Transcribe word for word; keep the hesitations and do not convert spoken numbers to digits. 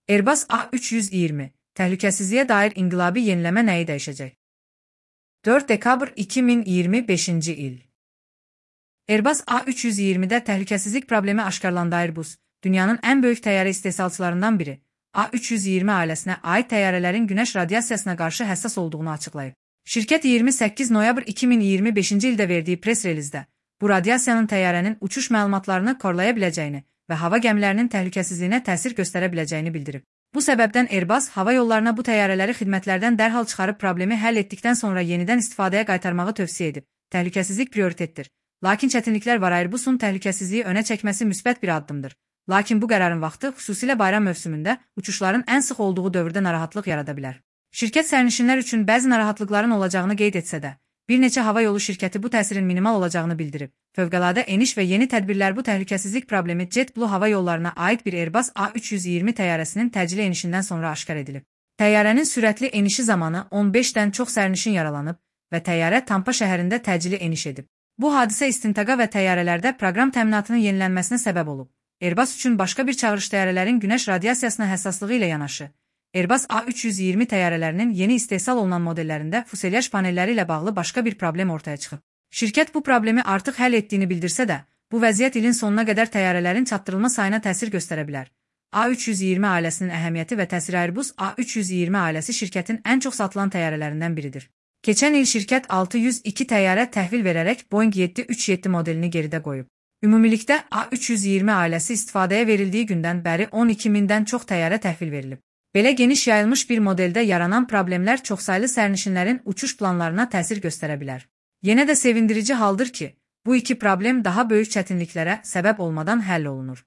Airbus A üç yüz iyirmi, təhlükəsizliyə dair inqilabi yeniləmə nəyi dəyişəcək? dörd dekabr iki min iyirmi beşinci il. Airbus A üç yüz iyirmidə təhlükəsizlik problemi aşkarlandı. Airbus, dünyanın ən böyük təyyarə istehsalçılarından biri, A üç yüz iyirmi ailəsinə aid təyyarələrin günəş radiasiyasına qarşı həssas olduğunu açıqlayıb. Şirkət iyirmi səkkiz noyabr iki min iyirmi beşinci ildə verdiyi press relizdə, bu radiasiyanın təyyarənin uçuş məlumatlarını korlaya biləcəyini və hava gəmilərinin təhlükəsizliyinə təsir göstərə biləcəyini bildirib. Bu səbəbdən Airbus hava yollarına bu təyyarələri xidmətlərdən dərhal çıxarıb problemi həll etdikdən sonra yenidən istifadəyə qaytarmağı tövsiyə edib. Təhlükəsizlik prioritetdir. Lakin çətinliklər var. Airbusun təhlükəsizliyi önə çəkməsi müsbət bir addımdır. Lakin bu qərarın vaxtı, xüsusilə bayram mövsümündə, uçuşların ən sıx olduğu dövrdə narahatlıq yarada bilər. Şirkət sərnişinlər üçün bəzi narahatlıqların olacağını qeyd etsə də, bir neçə hava yolu şirkəti bu təsirin minimal olacağını bildirib. Fövqəladə eniş və yeni tədbirlər bu təhlükəsizlik problemi JetBlue hava yollarına aid bir Airbus A üç yüz iyirmi təyyarəsinin təcili enişindən sonra aşkar edilib. Təyyarənin sürətli enişi zamanı on beşdən çox sərnişin yaralanıb və təyyarə Tampa şəhərində təcili eniş edib. Bu hadisə istintaqa və təyyarələrdə proqram təminatının yenilənməsinə səbəb olub. Airbus üçün başqa bir çağırış təyyarələrin günəş radiasiyasına həssaslığı ilə yanaşı, Airbus A üç yüz iyirmi təyyarələrinin yeni istehsal olunan modellərində fuselaj panelləri ilə bağlı başqa bir problem ortaya çıxıb. Şirkət bu problemi artıq həll etdiyini bildirsə də, bu vəziyyət ilin sonuna qədər təyyarələrin çatdırılma sayına təsir göstərə bilər. A üç yüz iyirmi ailəsinin əhəmiyyəti və təsiri. Airbus A üç yüz iyirmi ailəsi şirkətin ən çox satılan təyyarələrindən biridir. Keçən il şirkət altı yüz iki təyyarə təhvil verərək Boeing yeddi üç yeddi modelini geridə qoyub. Ümumilikdə A üç yüz iyirmi ailəsi istifadəyə verildiyi gündən bəri on iki mindən çox təyyarə təhvil verilib. Belə geniş yayılmış bir modeldə yaranan problemlər çoxsaylı sərnişinlərin uçuş planlarına təsir göstərə bilər. Yenə də sevindirici haldır ki, bu iki problem daha böyük çətinliklərə səbəb olmadan həll olunur.